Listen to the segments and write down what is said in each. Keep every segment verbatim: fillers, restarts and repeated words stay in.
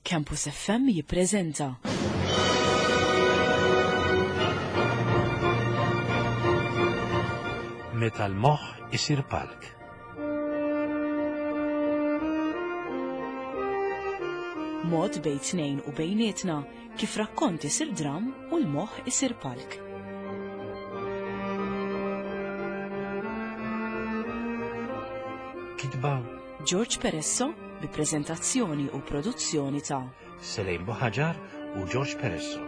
Campus F M jippreżenta Meta l-moħħ isir palk. Mod bejn tnejn u bejnietna kif rakkont isir dram u l-moħħ isir palk. Kitba George Peresso bi preżentazzjoni u produzzjoni ta' Selejn Buħaġar u George Peresso.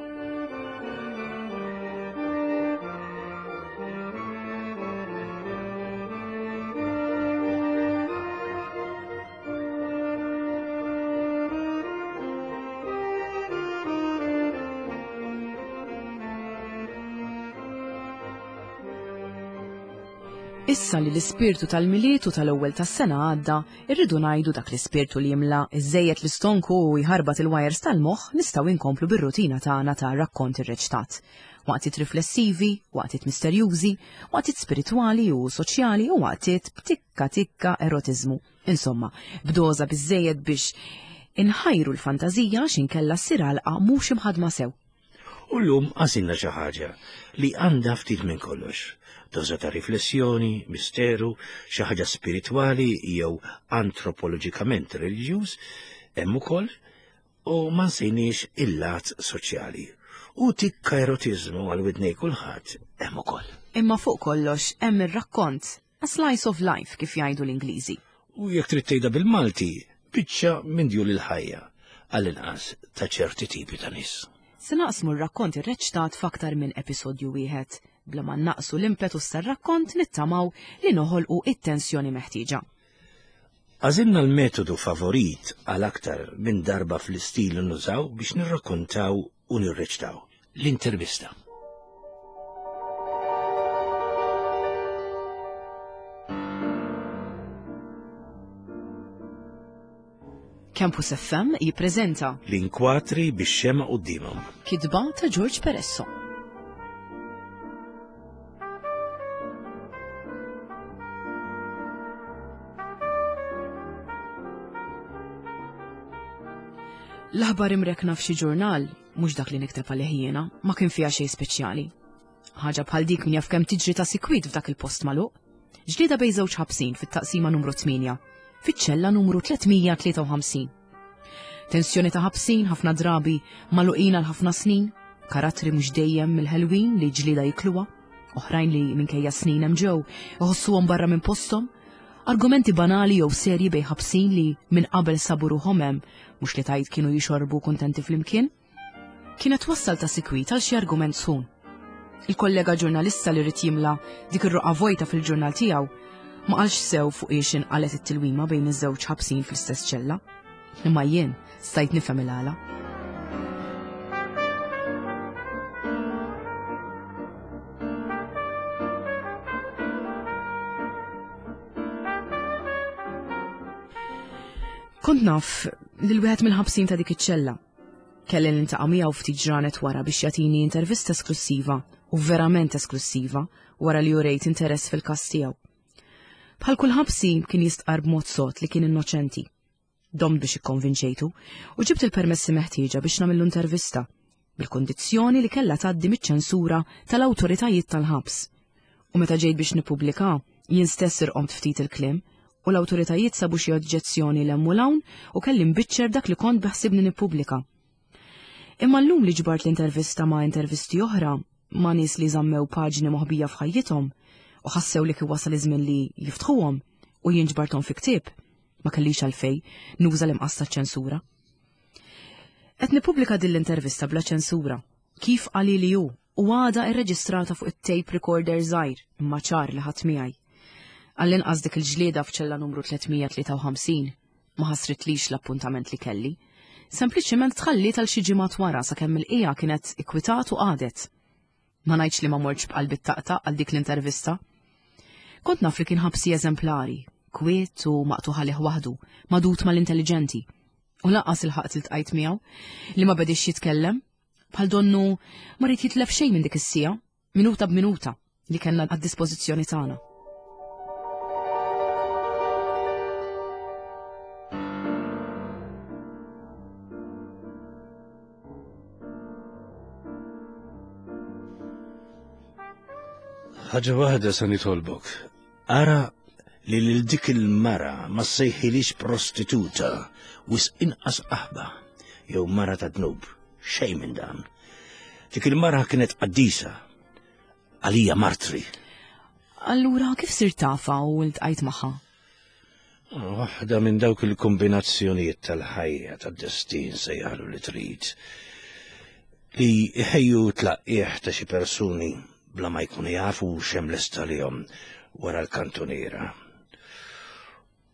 Issa li l-ispirtu tal-Milied u tal-ewwel tas-sena għadda, irridu ngħidu dak l-ispirtu li jimla iżejjed l-istonku u jħarbat il-wires tal-moħħ, nistgħu inkomplu bir-rutina tagħna ta' rakkont irreċtat. Waqtiet riflessivi, waqtiet misterjużi, waqtiet spiritwali u soċjali u waqtiet b'tikka tikka erotiżmu. Insomma, b'doża biżejjed biex inħajru l-fantażija x'inkella ssir għalqa mhux imħadma sew. U llum għażilna xi ħaġa li għandha ftit minn kollox. Doża ta' riflessjoni, misteru, xi ħaġa spiritwali jew antropoloġikament reliġjuż, hemm ukoll, u ma nsejniex il-lat soċjali. U tikka erotiżmu għal widnej kulħadd hemm ukoll. Imma fuq kollox hemm ir-rakkont, a slice of life kif jgħidu l-Ingliżi. U jekk trid tgħidha bil-Malti, biċċa minn djul il-ħajja, għall-inqas ta' ċerti tipi ta' nies. Se naqsmu r-rakkont irreċtat f'aktar minn episodju wieħed. Bla ma naqsu l-impetus tar-rakkont, nittamaw li noħolqu it-tensjoni meħtieġa. Għażilna l-metodu favorit għal aktar minn darba fl-istil nużaw biex nirrakkontaw u nirreċtaw: l-intervista. Campus F M jippreżenta L-inkwatri bix-xema quddiemhom. Kitba ta' George Peresso. L-aħbar imrekna f'xi ġurnal, mhux dak li nikteb għalih jiena, ma kien fiha xejn speċjali. Ħaġa bħal dik min jaf kemm tiġri ta' sikwit f'dak il-post magħluq. Ġlieda bejn żewġ ħabsin fit-taqsima numru tmienja, fiċ-ċella numru tliet mija tlieta u ħamsin. Tensjoni ta' ħabsin ħafna drabi magħluqin għal ħafna snin, karattri mhux dejjem mill-ħelwin li ġlieda jikluha, oħrajn li minkejja snin hemm ġew iħossuhom barra minn posthom, argumenti banali jew serji bejn ħabsin li minn qabel sabu ruħhom hemm, mhux li tajt kienu jixorbu kuntenti flimkien. Kienet wassal ta' sikwit għal xi argument sħun. Il-kollega ġurnalista li ried jimla dik ir-roqa vojta fil-ġurnal tiegħu ma qalx sew fuq ix inqalet it-tilwima bejn iż-żewġ ħabsin fl-istess ċella. Imma jien stajt nifhem il-għala. Kont naf lil wieħed mill-ħabsin ta' dik iċ-ċella. Kelli niltaqa' miegħu ftit ġranet wara biex jagħtini intervista esklusiva u verament esklusiva wara li urejt interess fil-każ tiegħu. Bħal kull ħabsi kien jistqar b'mod sod li kien innoċenti. Domt biex ikkonvinċejtu u ġibt il-permessi meħtieġa biex nagħmillu intervista bil-kondizzjoni li kellha tgħaddi miċ-ċensura tal-awtoritajiet tal-ħabs. U meta ġejt biex nippubblika, jien stess irqomt ftit il-kliem u l-awtoritajiet sabu xi oġġezzjoni 'l hemm u 'l hawn u kelli nbiċċer dak li kont beħsibni nippubblika. Imma llum li ġbart l-intervista ma' intervisti oħra ma' nies li żammew paġni moħbija f'ħajjithom u ħassew li kien wasal iż-żmien li jiftħuhom u jien ġbarthom fi ktieb, ma kellix għalfej nuża l-imqas ċensura. Qed nippubblika din l-intervista bla ċensura, kif qali li hu, u għada irreġistrata fuq it-tape recorder żgħir imma ċar li ħadd miegħi. Għall-inqas dik il-ġlieda f'ċella numru tliet mija tlieta u ħamsin ma ħasritlix l-appuntament li kelli. Sempliċiment tħalliet għal xi ġimgħat wara sakemm il-qija kienet ikkwitat u qadet. Ma ngħidx li ma mortx b'qalbi taqtaq għal dik l-intervista. Kont naf li kien ħabsi eżemplari, kwiet u maqtugħ għalih waħdu, magħdud mal-intelliġenti. U lanqas ilħaqt iltqajt miegħu li ma bedix jitkellem, bħal donnu ma ried jitlef xejn minn dik is-siegħa, minuta b'minuta li kellna għad-dispożizzjoni tagħna. Ħaġa waħda sa nitolbok. Ara li lil dik il-mara ma ssejħilix prostituta, wisq inqas qaħba, jew mara ta' dnub, xejn minn dan. Dik il-mara kienet qaddisa, għalija martri. Allura kif sirt tafha u ltqajt magħha? Waħda minn dawk il-kombinazzjonijiet tal-ħajja tad-destin sejjaħlu li trid. Li jħejju tlaqqieħ ta' xi persuni bla ma jkunu jafu x'hemm lest għalihom wara l-kantuniera.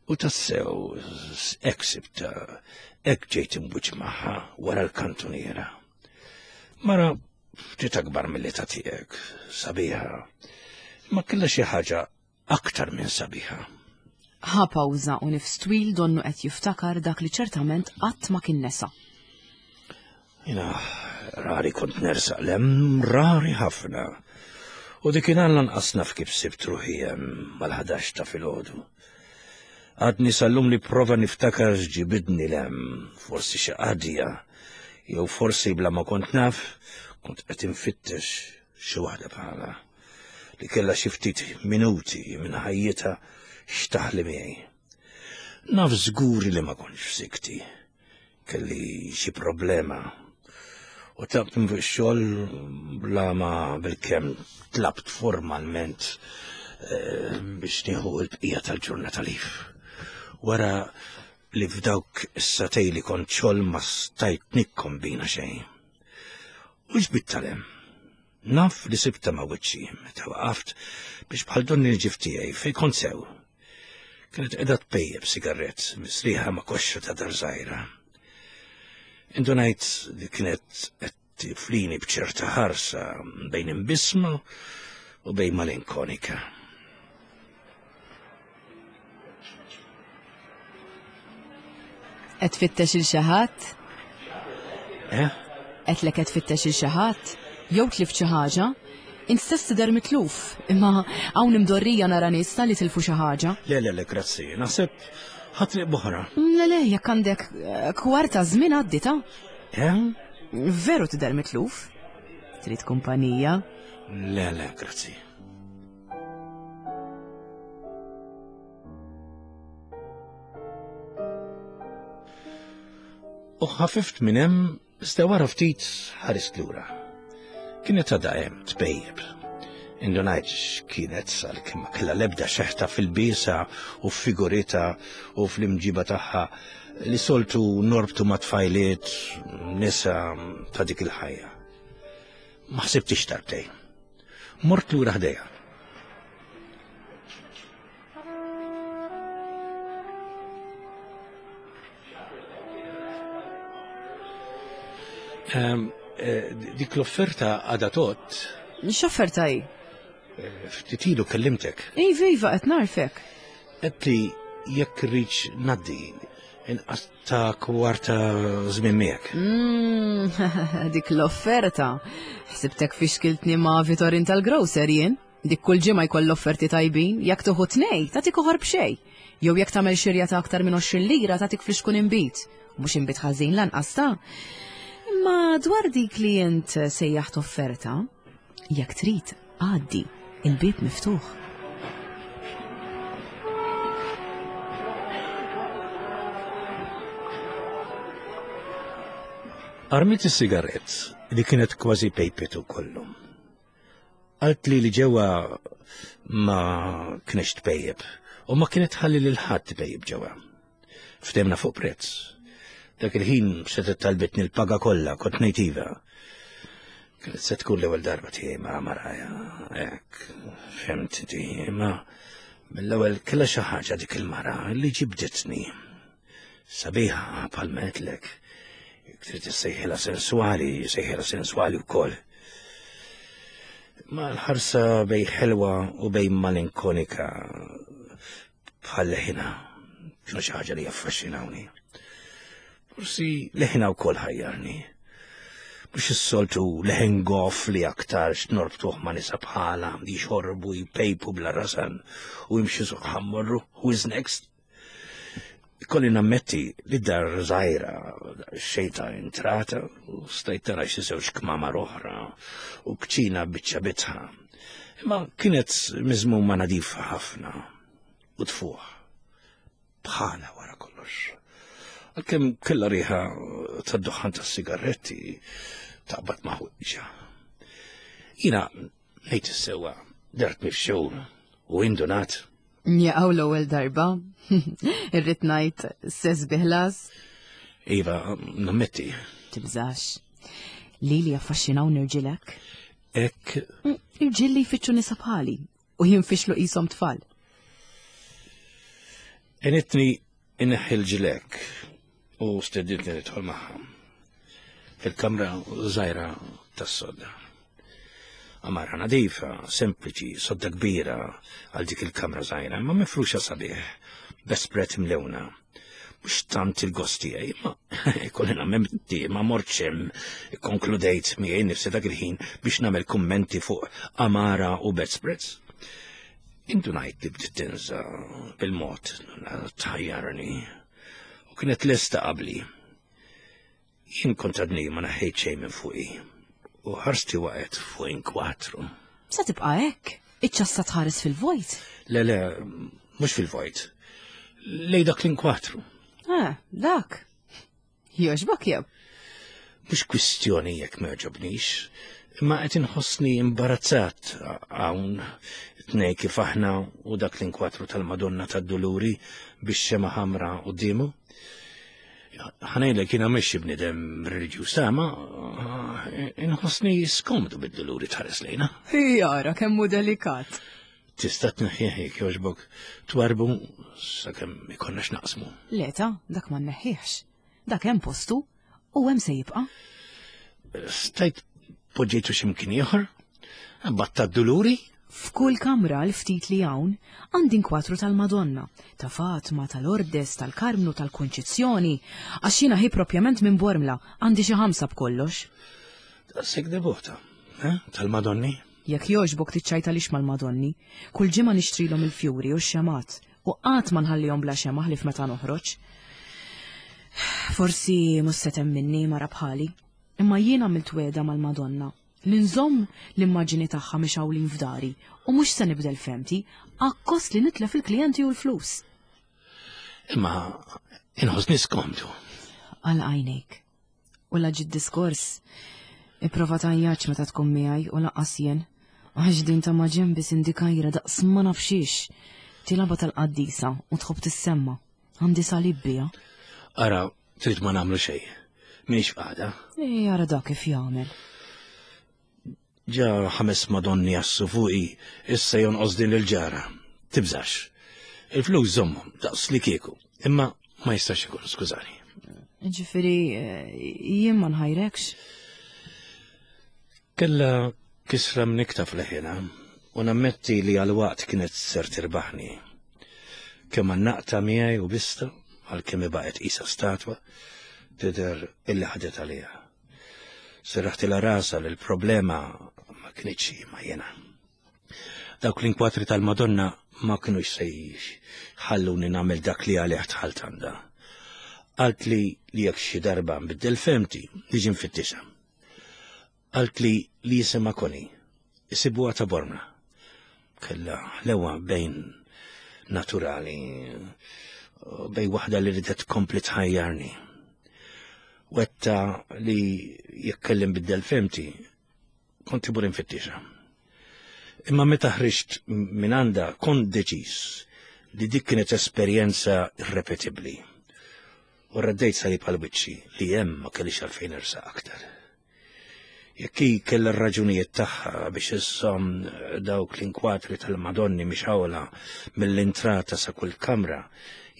U tassew, hekk sibta, hekk ġejt imwiċċ magħha wara l-kantuniera. Mara ftit akbar mill-età tiegħek, sabiħa, ma kellha xi ħaġa aktar minn sabiħa. Ħa pawża u nifs twil donnu qed jiftakar dak li ċertament qatt ma kien nesa. Jiena rari kont nersaq lem, rari ħafna. U dik lanqas naf kif sibt ruħi hemm mal-ħdax ta' filgħodu. Għadni sal-lum li prova niftakar x'ġibidni lem, forsi xi qadja, jew forsi bla ma kont naf, kont qed infittex xi waħda bħala li kellha xi ftit minuti minn ħajjitha x'taħli miegħi. Naf żgur li ma kontx f'sikti, kelli xi problema u tlabt minn fuq ix-xogħol bla ma bilkemm tlabt formalment eh, biex nieħu l-bqija tal-ġurnata lif. Wara li f'dawk is-sagħtejn li kont xogħol ma stajt nikkombina xejn. U ġbit tal-hemm. Naf li sibta ma' wiċċi meta waqaft biex bħal donni l-ġif tiegħi fejn kont sew. Kienet qiegħda tpejjeb sigarett misriħa ma' koxxa ta' dar żgħira. Indunajt li kienet qed tiflini b'ċerta ħarsa bejn imbisma u bejn malinkonika. Qed tfittex il xi ħadd? Eh? Qedlek qed tfittex il xi ħadd? Jew tlift xi ħaġa? Int stess tidher mitluf, imma hawn imdorrija nara nies li tilfu xi ħaġa. Le, le, le, grazzi. Naħseb ħa triq b'oħra. Le, le, jekk għandek eh, kwarta żmien għaddi ta'. Eh? Veru tidher mitluf? Trid kumpanija? Le, le, grazzi. U ħafift minn hemm, iżda wara ftit ħarist lura. Kienet għadha hemm tpejjeb. Indunajt x'kienet għalkemm ma kellha l-ebda xeħta fil-biesa u f'figurita u fl-imġiba tagħha li soltu norbtu ma' tfajliet nisa ta' dik il-ħajja. Ma ħsibtix darbtejn. Mort lura ħdejha. Ehm, eh, dik l-offerta għadha tot, X'offerta hi? eh, ftit ilu kellimtek. Iva, iva, qed narfek. Qed li jekk irridx ngħaddi inqas ta' kwarta żmien miegħek. Mm, dik l-offerta. Ħsibtek fixkiltni ma' Vitorin tal-grocer jien. Dik kull ġimgħa jkoll offerti tajbin, jekk tuħu tnej, tagħtik uħor b'xejn. Jew jekk tagħmel xirja ta' aktar minn għoxrin lira tagħtik flixkun inbid. Mhux inbid ħażin lanqas ta'. Imma dwar dik li int sejjaħt offerta, jekk trid għaddi, il-bieb miftuħ. Armit is-sigarett li kienet kważi pejpetu kollu. Qalt li li ġewwa ma kienx tpejjeb u ma kienet ħalli lil ħadd tpejjeb ġewwa. Ftehmna fuq prezz. Dak il-ħin setgħet talbitni l-paga kollha kont ngħid iva. Kienet se tkun l-ewwel darba tiegħi ma' maraja, hekk, fhimt inti, imma mill-ewwel kellha xi ħaġa dik il-mara li ġibditni. Sabiħa bħalma għedtlek. Jekk trid issejħilha sensuali, sejħilha sensuali wkoll. Ma l-ħarsa bej ħelwa u bej malinkonika bħal leħina kienu xi ħaġa li jaffaxxinawni. Forsi leħina wkoll ħajjarni. Mhux is-soltu leħen goff li aktarx norbtuh ma' nisa bħala li jxorbu jpejpu bla rasan u jimxi suq ħammorru who is next. Ikolli nammetti li dar żgħira xejta intrata u stajt tara xi żewġ kmamar oħra u kċina biċċa bitħa. Imma kienet miżmuma nadifa ħafna u tfuħ. Bħala wara kollox. Għalkemm kellha riħa tad-duħħan tas-sigaretti taqbad ma' ħwieġa. Jiena ngħid is-sewwa dart mifxul u indunat. Jaqaw l-ewwel darba. Irrid ngħid sess biħlas. Iva, nammetti. Tibżax. Lili affaxxinaw nirġilek. Ek. Irġiel li jfittxu nisa bħali u jinfixlu qishom tfal. Enitni inneħħi l-ġilek u steditni nidħol magħha. Fil-kamra żgħira tas-sodda. Amara nadifa, sempliċi, sodda kbira għal dik il-kamra żgħira, ma mifruxa sabiħ, bespread mlewna. Mhux tant il-gost tiegħi, ma ikolli nammetti ma mortx hemm, ikkonkludejt miegħi nnifsi dak il-ħin biex nagħmel kummenti fuq amara u bedspreads. Indunajt li bdiet tinża bil-mod tħajjarni u kienet lesta qabli. Jien kont għadni ma naħħejt xejn minn fuqi u ħarsti waqgħet fuq inkwatru. Sa tibqa' hekk? Iċ-ċassa tħares fil-vojt? Le, le, mhux fil-vojt. Lej dak l-inkwatru. Ah, dak. Jogħġbok jew? Mhux kwistjoni jekk ma jogħġobnix, imma qed inħossni imbarazzat hawn tnej kif aħna u dak l-inkwatru tal-Madonna tad-Duluri biex xema ħamra quddiemu. Ħanejlek jiena mhix bniedem reliġjuż ma inħossni skomdu bid-duluri tħares lejna. Jara kemm hu delikat. Tista' tneħħih jekk jogħġbok twarbu sakemm ikollna x'naqsmu. Leta, dak ma nneħħihx. Dak hemm postu u hemm se jibqa'. Stajt poġġejtu x'imkien ieħor? Batta d-duluri? F'kull kamra l-ftit li hawn għandi inkwatru tal-Madonna, ta' Fatma, tal-Ordes, tal-Karmnu, tal-Kunċizzjoni, għax jiena hi propjament minn Bormla, għandi xi ħamsa b'kollox. Daqshekk devota, eh? Tal-Madonni? Jekk jogħġbok tiċċajta lix mal-Madonni, kull ġimgħa nixtrilhom il-fjuri u x-xemat, u qatt ma nħallihom bla xema ħlief meta noħroġ. Forsi mhux se temminni mara bħali, imma jien għamilt wegħda mal-Madonna li nżomm l-immaġini tagħha mixgħulin f'dari u mhux se nibdel femti akkost li nitlef il-klijenti u l-flus. Imma inħossni skomdu. Għal għajnejk. U la ġid diskors, ipprova tgħajjax meta tkun miegħi u lanqas jien. Għax din ta' maġenbi sindikajra daqs ma nafxiex. Tilaba tal-qaddisa u tħobb tissemma. Għandi salib biha. Ara, trid ma nagħmlu xejn. M'iniex f'qagħda. Ej, ara dak kif jagħmel. Ġa ħames Madonni jassu fuqi, issa jonqos din il-ġara. Tibżax. Il-flus żommhom daqs li kieku, imma ma jistax ikun, skużani. Ġifieri, jien ma nħajrekx. Kella kisra mnikta fl-ħina u nammetti li għal-waqt kienet ser tirbaħni. Kemm naqta miegħi u bista, għalkemm baqgħet qisha statwa, tidher illi ħadet għaliha. Serraħtilha rasa li l-problema ma kinitx ma jena. Dawk l-inkwatri tal-Madonna ma kinux se jħalluni nagħmel dak li għalih dħalt għandha. Qalt li li jekk xi darba nbiddel femti niġi nfittixha. Qalt li li jisimha Koni, isibuha ta' Bormla. Kellha ħlewa bejn naturali, bejn waħda li ridet tkompli tħajjarni. Wetta li jekk kelli nbiddel femti, kont imur infittixa. Imma meta ħriġt minn għandha kont deċiż li dik kienet esperjenza irrepetibbli. U raddejt salib għal wiċċi li hemm ma kellix għalfejn irsaq aktar. Jekk hi kellha r-raġunijiet tagħha biex issomm dawk l-inkwatri tal-Madonni mixgħula mill-intrata sa kull kamra,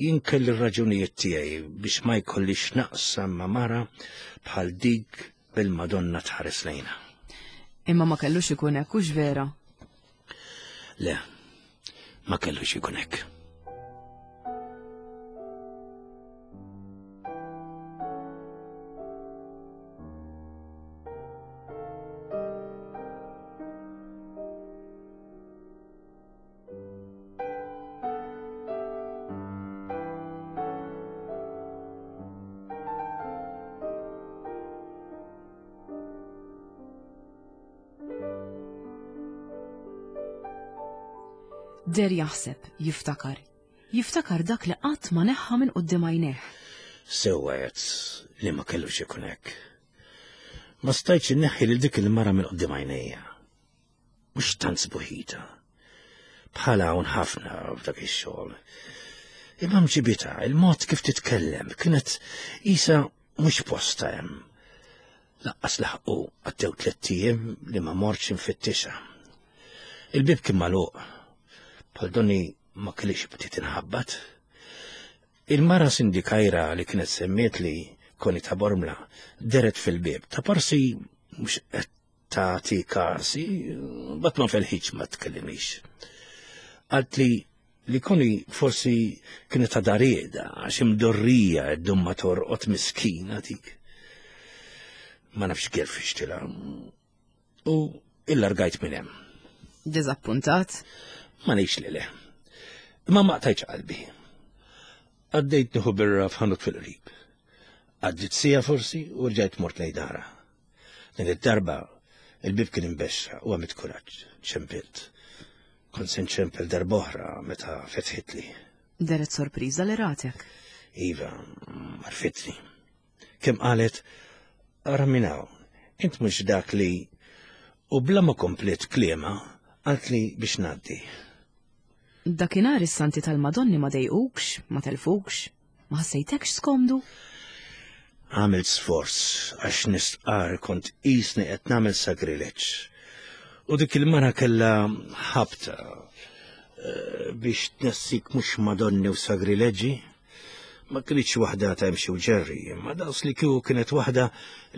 jien kelli r-raġunijiet tiegħi biex ma jkollix naqsam ma' mara bħal dik bil-Madonna tħares lejna. Imma ma kellux ikun hekk, hux vera? Le, ma kellux ikun hekk. Der jaħseb, jiftakar. Jiftakar dak li qatt ma neħħa minn quddiem għajnejh. Sewwa għedt li ma kellux ikun hekk. Ma stajtx inneħħi lil dik il-mara minn quddiem għajnejja. Mhux tant sbuħita. Bħala hawn ħafna f'dak ix-xogħol. Imma mġibita, il-mod kif titkellem kienet isa mhux posta hemm. Laqqas laħqu għaddew tliet ijiem li ma mortx infittixha. Il-bib kien magħluq. Bħal donni ma kellix bdiet inħabbat. Il-mara sindikajra li kienet semmiet li koni ta' Bormla deret fil-bib ta' parsi mhux qed tagħti kasi, bat ma felħitx ma tkellimix. Għalt li li koni forsi kienet ta' darieda għax imdorrija ddum ma torqod miskina dik. Ma nafx kif fixtila. U illargajt minn hemm. Diżappuntat? Ma ngħidx li le. Imma ma qtajtx qalbi. Għaddejt nieħu birra f'ħanut fil-qrib. Għaddit sija forsi u rġajt mort lejn dara. Din id-darba il-bib kien imbexxa u għamilt kuraġġ, ċempilt. Kont se nċempel darb'oħra meta fetħitli. Deret sorpriża li ratek. Iva, marfitni. Kemm qalet, ara minn hawn, int mhux dak li u bla ma komplet kliema qaltli biex ngħaddi. Dakinhar is-santi tal-Madonni ma dejqukx, ma telfukx, ma ħassejtekx skomdu? Għamilt sforz għax nistqar kont qisni qed nagħmel sagrileġġ. U dik il-mara kellha ħabta eh, biex tnessik mhux Madonni u sagrileġġi. Ma kinitx waħda ta' imxi u ġerri, imma daqs li kieku kienet waħda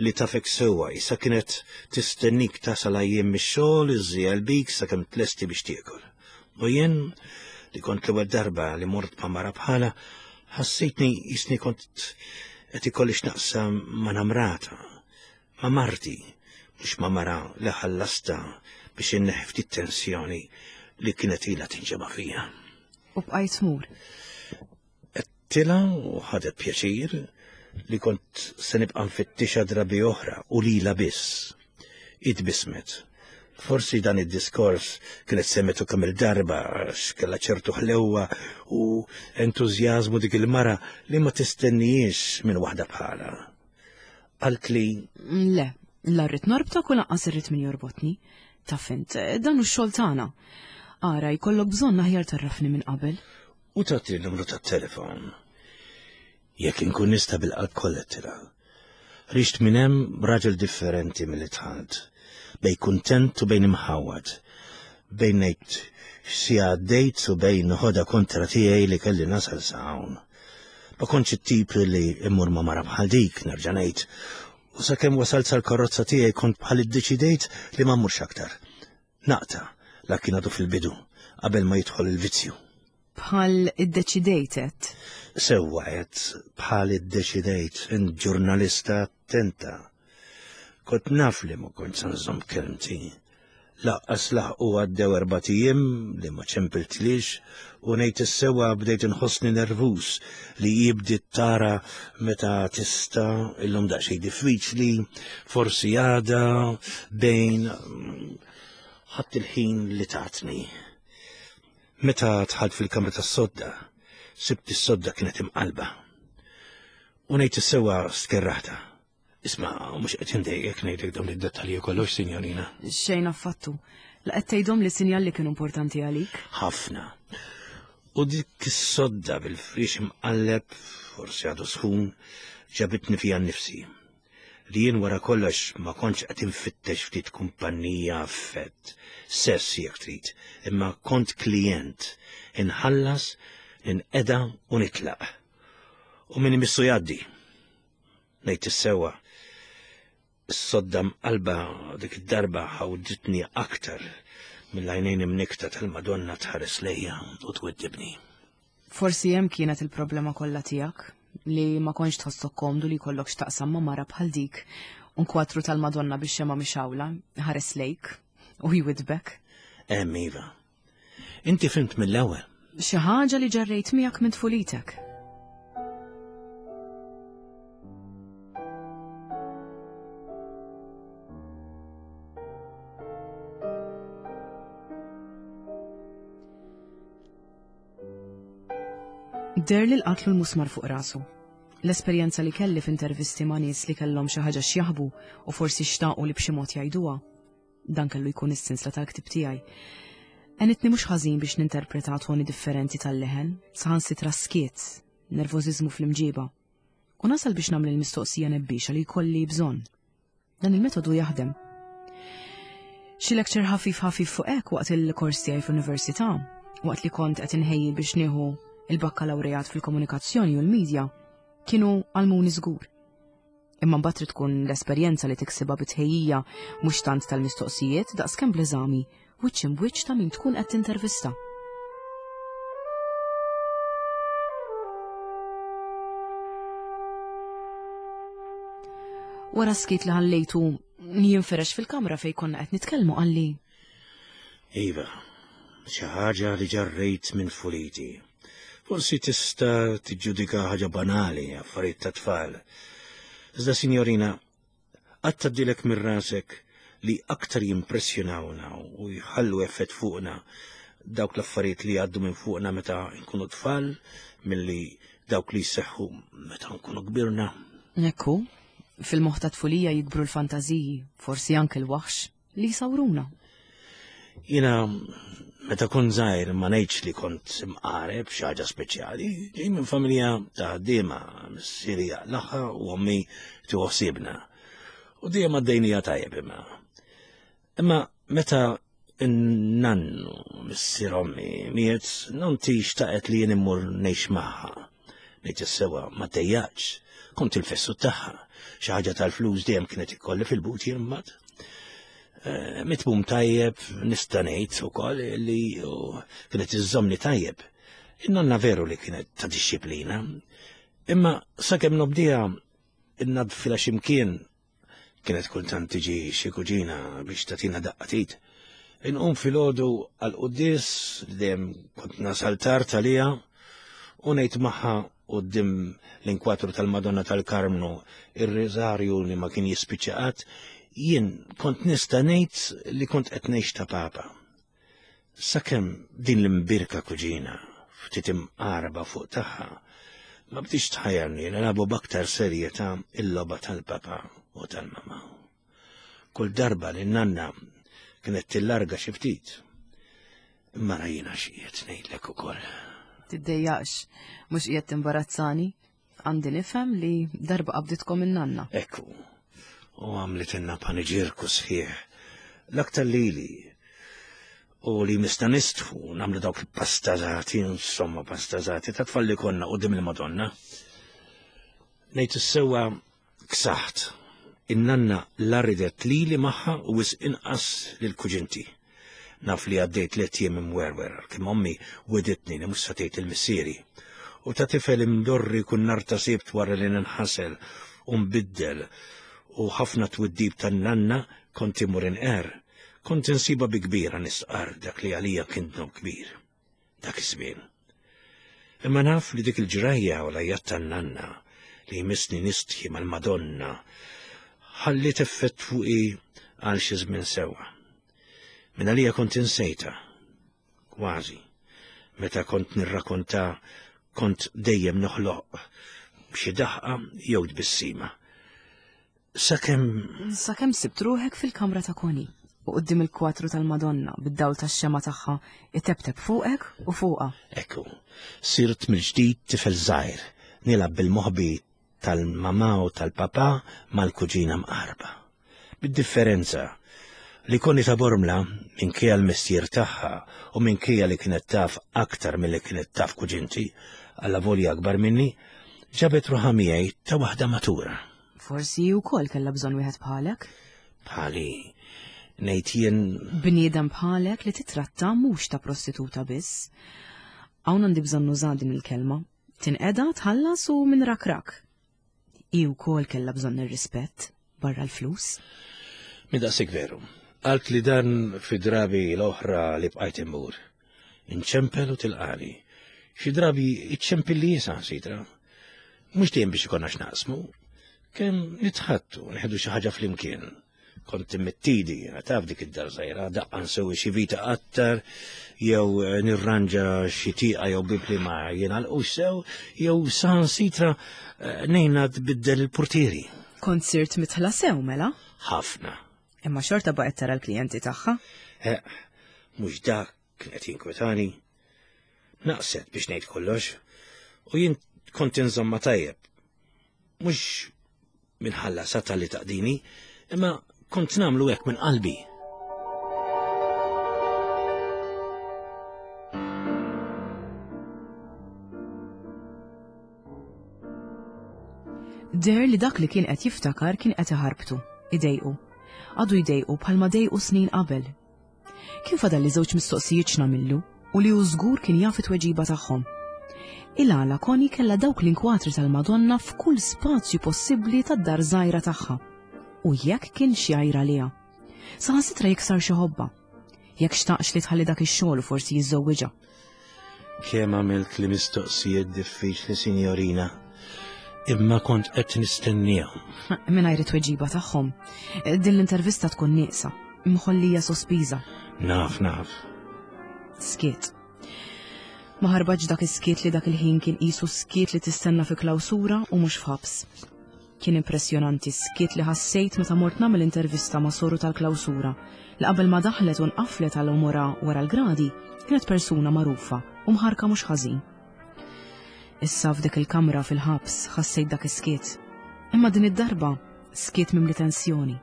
li tafek sewwa, issa kienet tistennik tasal għajjien mix-xogħol, iżżejjel bik sakemm tlesti biex tiekol. U jien li kont l-ewwel darba li mort ma' mara bħala, ħassejtni jisni kont qed ikolli x'naqsam ma' namrata, ma' marti, mhux ma' mara li ħallasta biex inneħħi ftit tensjoni li kienet ilha tinġema' fija. U bqajt tmur. Tila u ħadet pjaċir li kont se nibqa' nfittixa drabi oħra u lila biss. Itbismet. Forsi dan id-diskors kienet semmetu kemm il-darba għax kellha ċertu ħlewwa u entużjażmu dik il-mara li ma tistennijiex minn waħda bħala. Qalt li Le, la rrid norbtok u lanqas irrid min jorbotni. Taf int, dan hu x-xogħol tagħna. Ara, jkollok bżonn aħjar tarrafni minn qabel. U tagħti n-numru tat-telefon. Jekk inkun nista' bil-qalb kollha tira. Rixt minn hemm raġel differenti milli dħalt, bejn kuntent u bejn imħawwad, bejn ngħid xi għaddejt u bejn ħoda kontra tiegħi li kelli nasal sa hawn. Ma kontx it-tip li immur ma' mara bħal dik, nerġa' ngħid, u sakemm wasalt sal-karozza tiegħi kont bħal iddeċidejt li ma mmurx aktar. Naqta' la kien għadu fil-bidu qabel ma jidħol il-vizzju. Bħal iddeċidejt għedt? Sewwa għedt, bħal iddeċidejt, int ġurnalista attenta. Kont naf li ma kontx se nżomm kelmti. Laqqas laħqu għaddew erbat ijiem li ma ċempiltlix u ngħid is-sewwa bdejt inħossni nervuż li jibdi tara meta tista' illum daqsxejn diffiċli, forsi għada bejn ħadd il-ħin li tatni. Meta dħalt fil-kamra tas-sodda, sibt is-sodda kienet imqalba. U ngħid is-sewwa skerraħta. Isma', mhux qed indejjek ngħidlek dawn id-dettalji kollox, sinjorina. Xejn affattu. La qed tgħidhom li sinjal li kienu importanti għalik? Ħafna. U dik is-sodda bil-frix imqalleb, forsi għadu sħun, ġabitni fija nnifsi. Li jien wara kollox ma kontx qed infittex ftit kumpanija affett, sess jekk trid, imma kont klient, inħallas, ninqeda u nitlaq. U min imissu jgħaddi. Ngħid is-sewwa, is-sodda mqalba dik id-darba ħawditni aktar mill-għajnejn imnikta tal-Madonna tħares lejja u twiddibni. Forsi hemm kienet il-problema kollha tiegħek, li ma kontx tħossok komdu li jkollok x'taqsam ma' mara bħal dik, un kwatru tal-Madonna biex xema mixawla, ħares lejk u jwidbek. Hemm iva. Inti fimt mill-ewwel. Xi ħaġa li ġarrejt miegħek minn tfulitek. Deher li qatlu l-musmar fuq rasu. L-esperjenza li kelli f'intervisti ma' nies li kellhom xi ħaġa x'jaħbu u forsi xtaqu li b'xi mod jgħiduha. Dan kellu jkun is-sinsla tal-ktib tiegħi. Għenitni mhux ħażin biex ninterpreta toni differenti tal-leħen, saħansitra skiet, nervożiżmu fl-imġiba. U nasal biex nagħmel il-mistoqsija nebbiexa li jkolli bżonn. Dan il-metodu jaħdem. Xi lecture ħafif ħafif fuq hekk waqt il-kors tiegħi fl-università, waqt li kont qed inħejji biex nieħu il-bakkalawrejat fil-komunikazzjoni u l-medja, kienu għallmuni żgur. Imma mbagħad trid tkun l-esperjenza li tiksibha bitħejjija mhux tant tal-mistoqsijiet daqskemm bl-eżami wiċċ imbwiċċ ta' min tkun qed tintervista. Wara skiet li ħallejtu jinferex fil-kamra fejn konna qed nitkellmu qalli. Iva, xi ħaġa li ġarrejt minn tfuliti. Forsi tista' tiġġudika ħaġa banali, affarijiet ta' tfal. Iżda, sinjorina, qatt tgħaddilek minn rasek li aktar jimpressjonawna u jħallu effett fuqna dawk l-affarijiet li għaddu minn fuqna meta nkunu tfal milli dawk li jseħħu meta nkunu kbirna. Ekku, fil-moħħ ta' tfulija jikbru l-fantażiji, forsi anke l-waħx li jsawruna. Jiena meta kont żgħir ma ngħidx li kont imqareb xi ħaġa speċjali, ġej minn familja ta' ħaddiema, missieri jaqlagħha u ommi tieħu ħsiebna. U dejjem għaddejnija tajjeb imma. Imma meta n-nannu missier ommi miet, nonti xtaqet li jien immur ngħix magħha. Ngħid is-sewwa ma tejjaġ, kont il-fessu tagħha. Xi ħaġa tal-flus dejjem kienet ikolli fil-but jien mbagħad. Eh, mitmum tajjeb, nista' ngħid ukoll li kienet iżżommni tajjeb. In-nonna veru li kienet ta' dixxiplina, imma sakemm nobdiha innadfilha x'imkien kienet kultant tiġi xi kuġina biex tagħtina daqqa t'id. Inqum filgħodu għall-quddies dejjem kont nasal tard għaliha u ngħid magħha quddiem l-inkwatru tal-Madonna tal-Karmnu ir-riżarju li ma kien jispiċċa qatt, jien kont nista' ngħid li kont qed ngħix ta' papa. Sakemm din l-imbirka kuġina ftit imqarba fuq tagħha ma bdiex tħajjarni nilagħbu b'aktar serjetà il-logħba tal-papa u tal-mama. Kull darba li n-nanna kienet tillarga xi ftit. Imma rajna xi qiegħed ngħidlek ukoll. Tiddejjaqx, mhux qiegħed timbarazzani. Għandi nifhem li darba qabditkom in-nanna. Ekku, u għamlitilna paniġirku sħiħ. L-aktar lili u li mista nistħu nagħmlu dawk il-pastazati, insomma pastazati, ta' tfal li konna quddiem il-Madonna. Ngħid is-sewwa ksaħt. In-nanna la ridet lili magħha u wisq inqas lil kuġinti. Naf li għaddejt tliet jiem imwerwer, kemm ommi weditni li mhux se tgħid il-missieri. U ta' tifel imdorri kun nar ta' sibt wara li ninħasel u nbiddel u ħafna twiddib tan-nanna kont imur inqer. Kont insiba bi kbira nistqar dak li għalija kien dnub kbir. Dak iż-żmien. Imma naf li dik il-ġrajja u l-għajat tan-nanna li jmissni nistħi mal-Madonna ħalliet effett fuqi għal xi żmien sewwa. Min għalija kont insejta, kważi. Meta kont nirrakonta kont dejjem noħloq xi daħqa jew tbissima. Sakemm Sakemm sibt ruħek fil-kamra ta' Koni u quddiem il-kwatru tal-Madonna bid-dawl tax-xema tagħha itebteb fuqek u fuqha. Ekku, sirt mill-ġdid tifel żgħir, nilgħab bil-moħbi tal-mama u tal-papa mal-kuġina mqarba. Bid-differenza li Koni ta' Bormla minkejja l-mestier tagħha u minkejja li kienet taf aktar milli kienet taf kuġinti, allavolja akbar minni, ġabet ruħha miegħi ta' waħda matura. Forsi hi wkoll kellha bżonn wieħed bħalek. Bħali, ngħid jien Bniedem bħalek li titratta mhux ta' prostituta biss. Hawn għandi bżonn nuża din il-kelma. Tinqeda, tħallas u minn rak rak. Hi wkoll kellha bżonn ir-rispett barra l-flus. Minn daqshekk veru. Għalt li dan fi drabi l-oħra li bqajt immur. Inċempel u tilqani. Xi drabi iċċempel li jisa sitra. Mhux dejjem biex ikollna x'naqsmu. Kemm nitħattu, nħedu xi ħaġa flimkien. Kont immettidi, taf dik id-dar żgħira, daqqa nsewwi xi vita qattar, jew eh, nirranġa xi tieqa jew bib li ma jingħalqux sew, jew saħansitra eh, ngħinha tbiddel il-portieri. Kont sirt mitħla sew mela? Ħafna. Imma xorta baqgħet tara l-klijenti tagħha. Eh, mhux dak kien qed jinkwetani. Naqset biex ngħid kollox, u jien kont inżomma tajjeb. Mhux minħalla sata li taqdini, imma kont nagħmlu hekk minn qalbi. Deher li dak li kien qed jiftakar kien qed iħarbtu, idejqu. Għadu jdejqu bħalma dejqu snin qabel. Kien fadal li żewġ mistoqsijiet x'nagħmillu u li hu żgur kien jaf it-tweġiba tagħhom. Il-għala Connie kellha dawk l-inkwatri tal-Madonna f'kull spazju possibbli tad-dar żgħira tagħha. U jekk kien xi għajra liha. Saħansitra jekk sar xi ħobba. Jekk xtaqx li tħalli dak ix-xogħol u forsi jiżżewwiġha. Kemm għamilt li mistoqsijiet diffiċli, sinjorina, imma kont qed nistennihom. Mingħajr it-tweġiba tagħhom, din l-intervista tkun nieqsa, mħollija sospiża. Naf, naf. Skiet. Ma ħarbaġ dak is-skiet li dak il-ħin kien qisu skiet li tistenna fi klawsura u mhux f'ħabs. Kien impressjonanti skiet li ħassejt meta mort nagħmel intervista ma' soru tal-klawsura li qabel ma daħlet u nqaflet għal umora wara l-gradi kienet persuna magħrufa u mħarka mhux ħażin. Issa f'dik il-kamra fil-ħabs ħassejt dak is-skiet. Imma din id-darba skiet mimli tensjoni.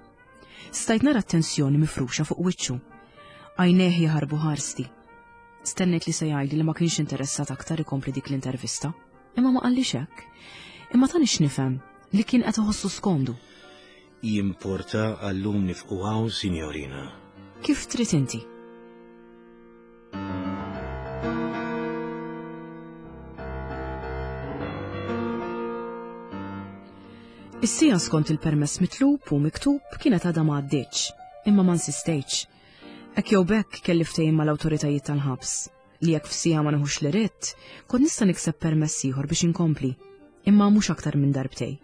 Stajt nara t-tensjoni mifruxa fuq wiċċu. Għajnejh jaħarbu ħarsti. Stennejt li se jgħidli li ma kienx interessat aktar ikompli dik l-intervista, imma ma qallix hekk. Imma tani x'nifhem li kien qed iħossu skomdu. Jimporta għallum nifqu hawn, sinjorina. Kif trid inti? Is-sija skont il-permess mitlub u miktub kienet għadha ma għaddietx, imma ma nsistejtx. Hekk jew b'hekk kelli ftehim mal-awtoritajiet tal-ħabs li jekk f'sija ma neħux li ridt, kont nista' nikseb permess ieħor biex inkompli, imma mhux aktar minn darbtej.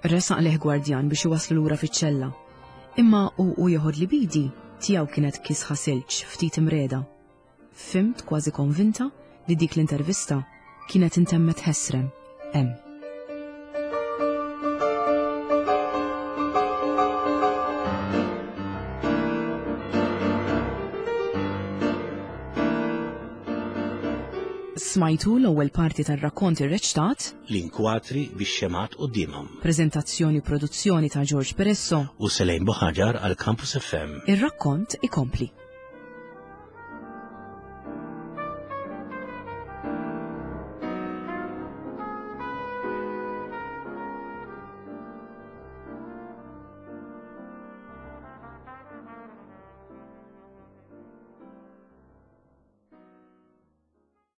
Resaq leh gwardjan biex iwaslu lura fiċ-ċella, imma u u jeħod li bidi tiegħu kienet kisħa silġ ftit imreda. Fimt kważi konvinta li dik l-intervista kienet intemmet ħesrem hemm. Smajtu l-ewwel parti tar-rakkont irreċtat, L-inkwatri bix-xemat quddiemhom. Preżentazzjoni u produzzjoni ta' George Peresso. U Selejn Buħaġar għal Campus F M. Ir-rakkont ikompli.